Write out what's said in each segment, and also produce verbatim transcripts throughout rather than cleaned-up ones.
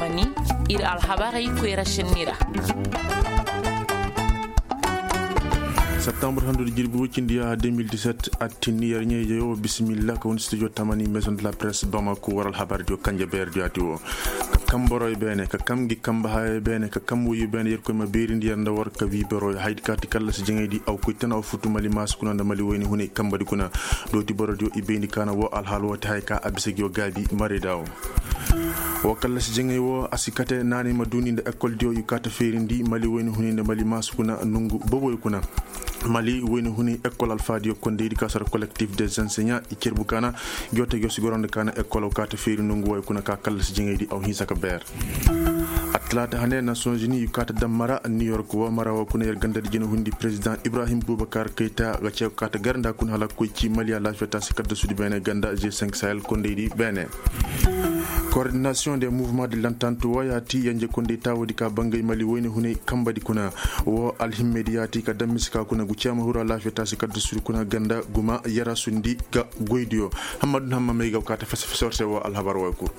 Ir alhabarey koyra šenni ra. Septembre handu da jirbi woy cindi ya deux mille dix-sept, attinni yer ɲayjey wo bisimilla ka wani studio tamani maison de la presse bamako war alhabar diyo kanje beer diyo ati wo. Ka kam boroy beene ka kam gi kamba haye beene ka kam woyu beene yer koy ma beerindi yer nda war ka wi boroy haydi ka ti kallasi jaŋaydi aw koy tan aw futu mali maasu kuna nda mali woyni hunay kambadi kuna. Dooti boro diyo i bayndi kaana wo alhaal wo ti hay ka a bisa gi wo gaabi marayda wo. Wo kallasi jaŋay wo a si kate naanay ma duuni nda ekol diyo i kaata feerindi mali woyni hunay nda mali maasu kuna nongu boboy kuna. Mali woyni hunay ekol alfaadiyo kondaydi ka sara collectif des enseignants i cerbu kaana. Gi wo te gi wo si goro nda kaana ekol aw kaata feeri nongu woy kuna ka kallasi jaŋaydi aw hinsa ka beer. Attalaata hane nations unis i kaata dammara new york wo mara wo kuna yer gandadi jina hundi président ibrahim bubakar kayta ga ce kaata gar nda kuna hala koy ci mali alaafiya taasi kaddasudi beene ganda g cinq sahel kondaydi beene. Coordination des mouvements de l'entente wo yaati yanje konday taawodi ka bangay mali woyne hunay kambadi kuna. Wo alhimmedi yaati ka dammisi ka kuna gu ceema huru alaafiya taasi kaddasudi kuna ganda guma yarasundi ga goydiyo. Hammadu hamma may ga kaata fese fese war se wo alhabar wo kuru.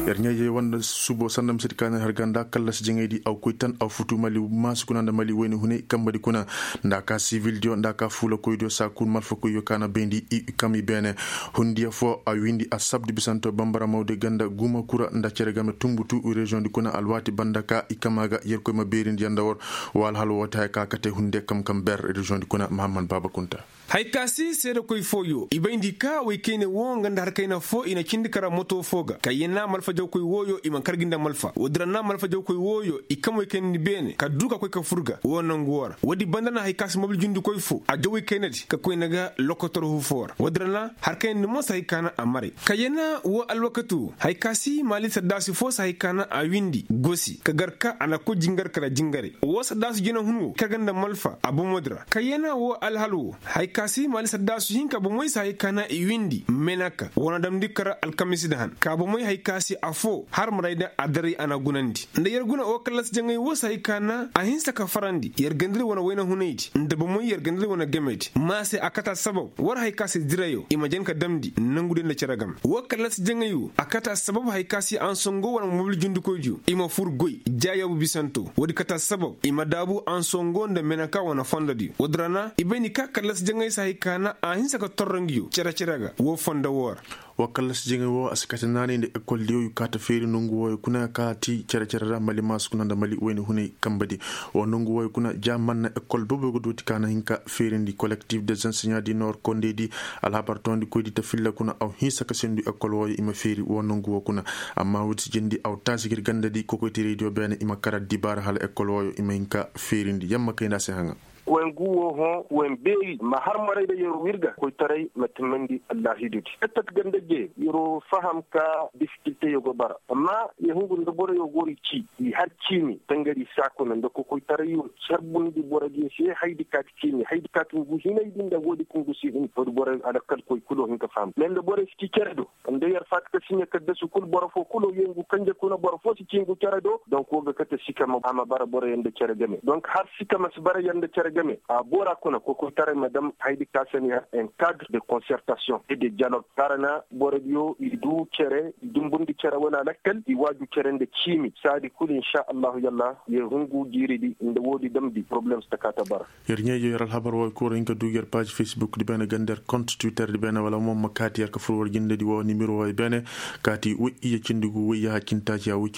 Yer ɲayjey wanda subo sanda misedi kaana har ganda kallasi jaŋaydi aw koy tan aw futu mali maasu kuna nda mali woyne hunay kambadi kuna. Nda ka sivildiyo nda ka fuula koydiyo saa kul malfa koyyo kaana bayndi i kam i beene. Hundiya fo a windi a sabdi bisanto bambara mawde ganda guma kura nda cere game tumbutu reziyoŋdi kuna alwaati banda ka i kama ga yer koy ma beerindi yanda war. Wa alhal woote haya ka kate hunde kam kam ber reziyoŋdi kuna mahamman baaba kunta. Hay ka si seedekoy fooyo i bayndi ka woy kayne woo nga nda har kayna foo i na cindi kara moto foo ga ka yena malfajawkoy wooyo i ma kar gi nda malfa woodin ra na malfajawkoy wooyo i kam woy kaynandi beene ka duu ka koy ka fur ga woo nangu woo ra woodi banda na hay ka si mobil jundikoy foo a jaw woy kaynadi ka koyna ga lokotor hu foo ra woodin ra na har kaynandi mo si hay ka na a maray ka yena woo alwakati woo hay ka si maali saddaasi foo si hay ka na a windi gosi ka gar ka a na koy jingar kala jingare woo saddaasi jina hun woo kar ga nda malfa a bomoodi ra ka yena woo alhal woo. Hay ka si maali saddaasu hinka bomoy si hay ka na i windi menaka woo na damndi kara alkamisi nda han ka bomoy hay ka si afoo har maray nda adaray a na gunandi nda yer guna woo kallasi jaŋay woo si hay ka na a hinsa ka farandi yer gandari wane wayna hunaydi nda bomoy yer gandari wane gamedi ma se a kata sabab war hay ka si dirayo i ma jan ka damndi nangudi nda cere game woo kallasi jaŋay woo a kata sabab hay ka si ansongo wane mobil jundikoydiyo i ma fur goy jaayoobu bisanto woodi kata sabab i ma daabu ansongo nda menaka wane fondodiyo woodi ra na i bay ni ka kallasi jaŋay si hay ka na a hinsa ka torro ngi yo cere-cere ga woo fondo woo ra. Woo kallasi jaŋay woo a si kate naanay nda ekoldiyo i kaata feeri nongu wooyo kuna ka ti cere-cere ra mali maasu kuna nda mali wayne hunay kambadi. Woo nongu wooyo kuna ja manna ekol booboy ga dooti ka na hin ka feerindi kolektif des enseignants di nord kondeydi alhabar toondikoydi ta filla kuna aw hinsa ka sendu ekol wooyo i ma feeri woo nongu woo kuna. Amma woodi si jindi aw taasi gir gandadi kokoytiraydiyo beene i ma kara dibaara hala ekol wooyo i ma hin ka feerindi yamma kay nda a se haŋa. Koy ngu woo hõ koy beeri ma har maray nda yer wirga koytaray ma timmandi allahidudi ettat ganda je yer faham ka difikilteyo go bara amma yer hungu nda boroyo go ri ci i har ciimi tangari saakuna nda kokoytarayo carbundi borodiyo se haydi kaati ciimi haydi kaati ngu hinaydi nda woodi ka ngu si hin woodi boroyo alakal koy kulo hin ka faham me nda boroyo si ci cere do nda yer faati ka siɲe kaddasu kul boro foo kulo yee ngu kanje kuna boro foo si ci ngu cere do donk woo ga kate sika ma a ma bara boroyo nda cere game donk har sika ma si bara yer nda cere game a boora kuna kokoytaray ma dam haydi ka se ni har un cadre de concertation et de dialogue kaara na borodiyo i duu cere i dumbundi cere wane alakal i waaju cere nda ciimi saadi kul inša allahu yalla yer hungu jiiridi nda woodi damndi poroblem si ta kaa ta bara. Yer ɲayjo yer alhabar woo kura hin ka duu yer paaz facebook di beene ganda yer kont twitter di beene wala mo ma kaati yer ka fur war jindedi woo nimiro woo beene kaati woy iyya cindi gu woy yaaha cindi taaci yaaha woy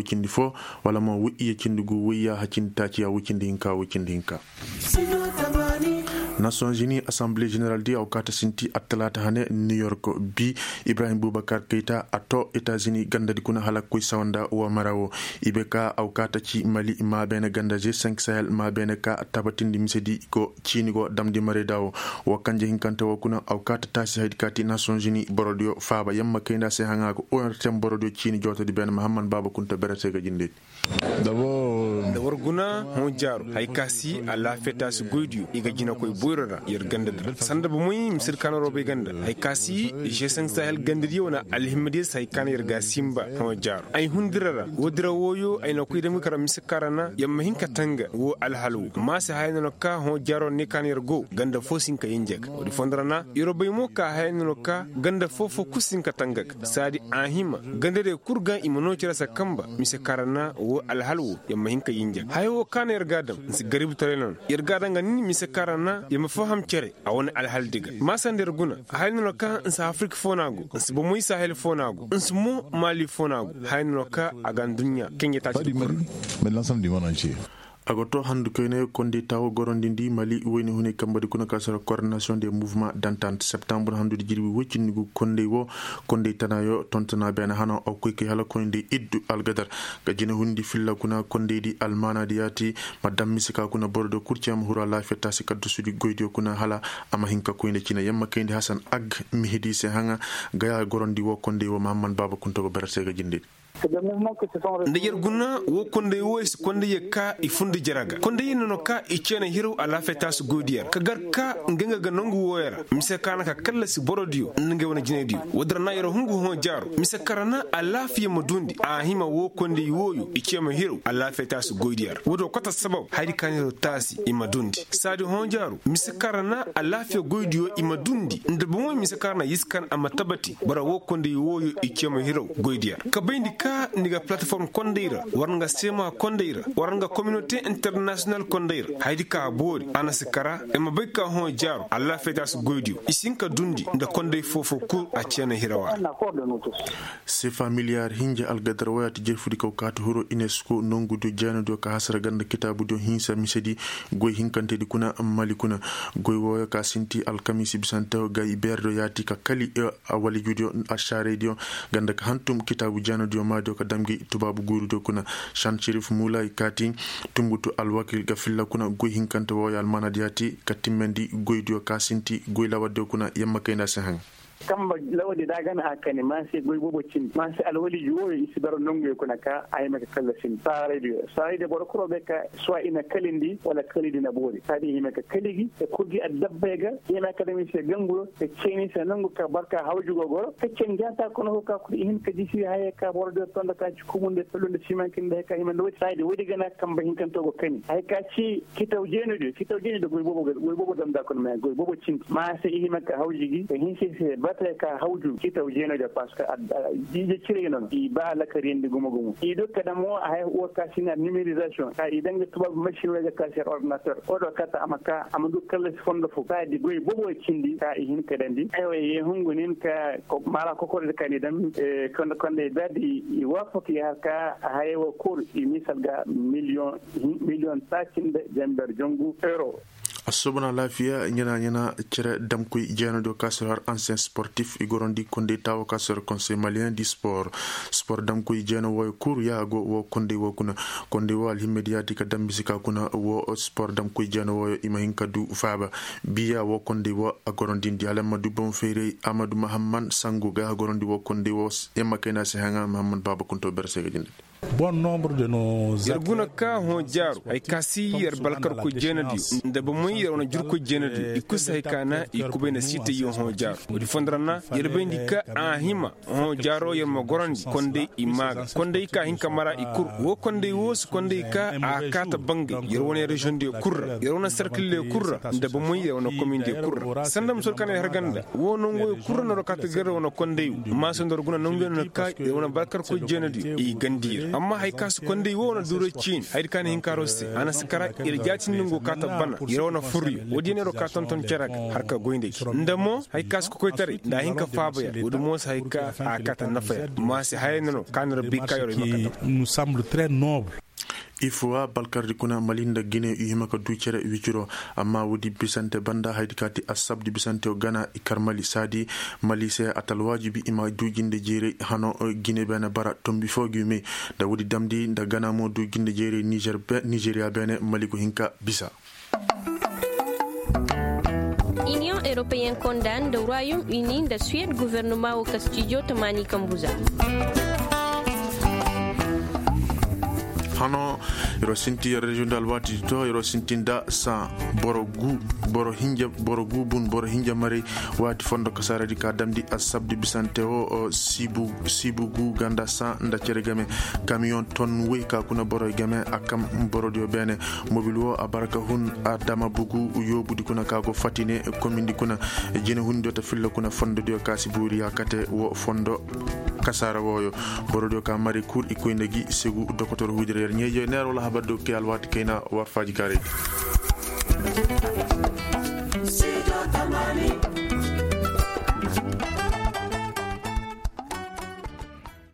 cindi foo wala mo woy iyya cindi gu woy yaaha cindi taaci yaaha woy cindi hinka woy cindi hinka. Nations unis assemblée générale di aw kaata sinti attalaata hane new york bi ibrahim bubakar kayta a too etats-unis gandadi kuna hala koy sawa nda woo mara woo i be ka aw kaata ci mali maabeene ganda g cinq sahel maabeene ka tabatindi misedi go ciini go damndi marayda woo. Woo kanje hinkante woo kuna aw kaata taasi haydi kaati nations unis borodiyo faaba yamma kayndi a se haŋa ga ortem borodiyo ciini jootodi beene mahamman baaba kunta berete ga jindedi. Nda war guna hõ jaaru hay ka si alaafiyata si goydiyo i ga jinakoy boy. Yer ganda dira sanda bomoy mise di kaana robey ganda hay ka si, žeseŋ sahel ganda diyo wane alhimma diyo si hay ka na yer ga a simba. Hõ jaaro ay hun dira ra woo dira wooyo ay na koy damgi kara mise kaŋ ra na yer ma hin ka tanga woo alhal woo ma se haya no na ka hõ jaaro ne ka na yer go ganda foo si hin ka yinja ga woodi fondo ra na yer bay mo ka haya no na ka ganda foo foo kul si hin ka tanga ga saadi a hima ganda diyo kul ga i ma noo cere se kamba mise kaŋ ra na woo alhal woo yer ma hin ka yinja ga haya woo ka na yer ga a daŋ nsi garibitaray no na yer ga a daŋ ga nin mise kaŋ ra na yer ma faham cere a wane alhal di ga ma sanda yer guna. Haya no na ka nsi afirika foo no a go nsi bomoy sahel foo no a go nsi mo maali foo no a go haya no na ka a ga nduɲɲa kaŋ yer taaci di kul. A ga too handu koyne kondey taawo gorondindi mali wayne hunay kamba di kuna ka sara koordinasiyoŋ de muvuma dantant septambur handu di jirbi woy cindi gu kondey woo kondey tanaayo tontona beene hanaŋ aw koy kay hala koyndey iddu algadar ga jine hundi filla kuna kondey di almaana di yaati. Ma daŋ mise ka kuna boro diyo kul cee ma huru alaafiya taasi kaddasu di goy diyo kuna hala a ma hin ka koy nda cine yer ma kayndi hasan ag mihidi se haŋa ga ya gorandi woo kondey woo mahamman baaba kunto go bere se ga jinde di. Nda yer guna woo kondey wooyo si kondey yer ka i fundi jere ga kondey yer no na ka i ceena hiraw alaafiya taasu goydiyo ra ka gar ka nga nga ga nongu wooyo ra mise ka na ka kallasi borodiyo nda ngey wane jinaydiyo woodi ra na yer hungu hõ jaaro mise kaŋ ra na alaafiya ma duundi a hima woo kondey wooyo i ceema hiraw alaafiya taasu goydiyo ra woodi wo kota sabab hayadi ka na yer taasi i ma duundi saadi hõ jaaro mise kaŋ ra na alaafiya goydiyo i ma duundi nda bomoy mise kaŋ ra na yiskan a ma tabati boro woo kondey wooyo i ceema hiraw goydiyo ra ka bayndi ka ni ga palataform kondey ra war nga seema kondey ra war nga kominote internasiyonal kondey ra hayadi ka a boori a na si kara i ma bay ka hõ jaaro alaafiya taasu goydiyo i si hin ka duundi nda kondey foo-foo kul a ceena hirawa ra. Sefa miliyar hinja algadar waya ti jerfudi kaw kaati huro inesko nongudiyo jeenadiyo ka hasara ganda kitaabudiyo hinsa misedi goy hinkantedi kuna mali kuna goy wooyo ka sinti alkamiisi bisantewo gay beerediyo yaati ka kali awalijudiyo ašaaraydiyo ganda ka hantum kitaabu jeenadiyo maadiyo ka damgi tubaabu guurudiyo kuna. Šan šerif muulay kaati tunbutu alwakil ga filla kuna goy hinkante wooyo almaanadi yaati ka timmandi goydiyo ka sinti goy lawardiyo kuna yamma kayndi a se haŋ. Kamba lawadi da a gana a kani ma se goy boobo cindi ma se alwaliji wooyo i si bara nonguyo kuna ka a hima ka kalla sindi saaraydiyo saaraydiyo boro kuro bay ka suwa i na kalindi wala kalidi na boori saadi i hima ka kaligi ka kurgi addabbay ga i hima ka dami se ganguyo ka ceeni se nongu ka barka hawjugo goro ka cen jaata kono fo ka kul i hin ka jisi haya ka borodiyo tonda ka ci kumunde pelunde simankinde hay ka hima nda wati saayidi woodi gana kamba hinkanto go kani hay ka ci kitaw jeenodiyo kitaw jeenodiyo goy boobo damda kono ma goy boobo cindi ma se i hima ka hawji gi ka hinsi se bate ka hawju kitaw jeenodiyo parce que jiije cire nono i ba lakariyandi gumo gumo i do kada mo a hay wo ka sina numérisation ka i danga tubaabu machine wey ga ka se ordinateur o do kata a ma ka a ma du kallasi fondo fo ka di goy boobo cindi ka i hin ka dandi aywa ye hungu nin ka mara kokordi ka ni dam konda konda i berdi i waafaki har ka a haya wo kul i misal ga miliyoŋ miliyoŋ taaci nda jamber jongu euro. Assobona laafiya ɲana ɲana cere damkoy jeenadiyo ka sir har ansiyen sportif i gorondi kondey taawo ka sir konsey maliyen di spor spor damkoy jeena wooyo kul ya go wo kondey woo kuna kondey woo alhimmediyaati ka dambisi ka kuna wo spor damkoy jeena wooyo i ma hin ka du faaba biya wo kondey woo a gorondindi hala ma du boŋ fayray amadu mahamman sangu ga a gorondi wo kondey woo yamma kayna se haŋa mahamman baaba kunto bere se ga jindandi. Yer guna ka hõ jaaru hay ka si yer balkarkoy jeenadiyo nda bomoy yer wane jurkoy jeenadiyo i kul si hay ka na i kubay na siitayyo hõ jaaru woodi fondo ra na yer bayndi ka a hima hõ jaaro yer ma gorandi konday i maa ga konday ka hin ka mara i kul woo konday woo si konday ka a kaata bangay yer wane reziyoŋdiyo kul ra yer wane serkildiyo kul ra nda bomoy yer wane komindiyo kul ra sanda ma sor ka na yer har ganda woo nonguyo kul ra na ro kaata gar yer wane konday woo amma sanda ro guna nonguyo no na ka yer wane balkarkoy jeenadiyo i gandi yer amma hay ka si konday woo na duuray ciini hayadi ka na hin ka ro se a na si kara yer jaatindi ngo kaata bana yer wane furyo woodiyo na ro ka tonton cere ga har ka goy nda gi nda mo hay ka si kokoytaray nda a hin ka faaba yer woodi mo si hay ka a kaata nafa yer ma si hayay na no ka na rabbi ka yer i ma kata. Ifo wa balkardi kuna mali nda gine i hima ka du cere wiciro amma woodi bisante banda hayadi ka ti assabdi bisante wo gana i kar mali saadi mali se a ta alwaajibi i ma du jinde jeeray hano gine beene bara tombi foo gi me nda woodi damndi nda gana mo du jinde jeeray nizeriya beene mali go hin ka bisa. Iniyoŋ eropeyen konda nda royom uni nda suwed gofornoma wo kastijo tamaani kambu za. Hano Yeroo sinti yer reziyoŋ da alwaati di to yeroo sinti nda saa boro guu bun boro hinja marey waati fondo kasaaradi ka damndi assabdi bisante woo siibu guu ganda saa nda cere game kamiyoŋ ton woy ka kuna boroy game a kam borodiyo beene. Mobil woo a bara ka hun a dama bugu yoobudi kuna ka go fati ne komindi kuna jine hundiyo ta filla kuna fondodiyo ka si buuri yaakate woo fondo kasaara wooyo. Borodiyo ka mari kul i koy nda gi segu dokotor huudira yer ɲeeje neer wala habar diyo kay alwaati kayna war faaji kaarey di.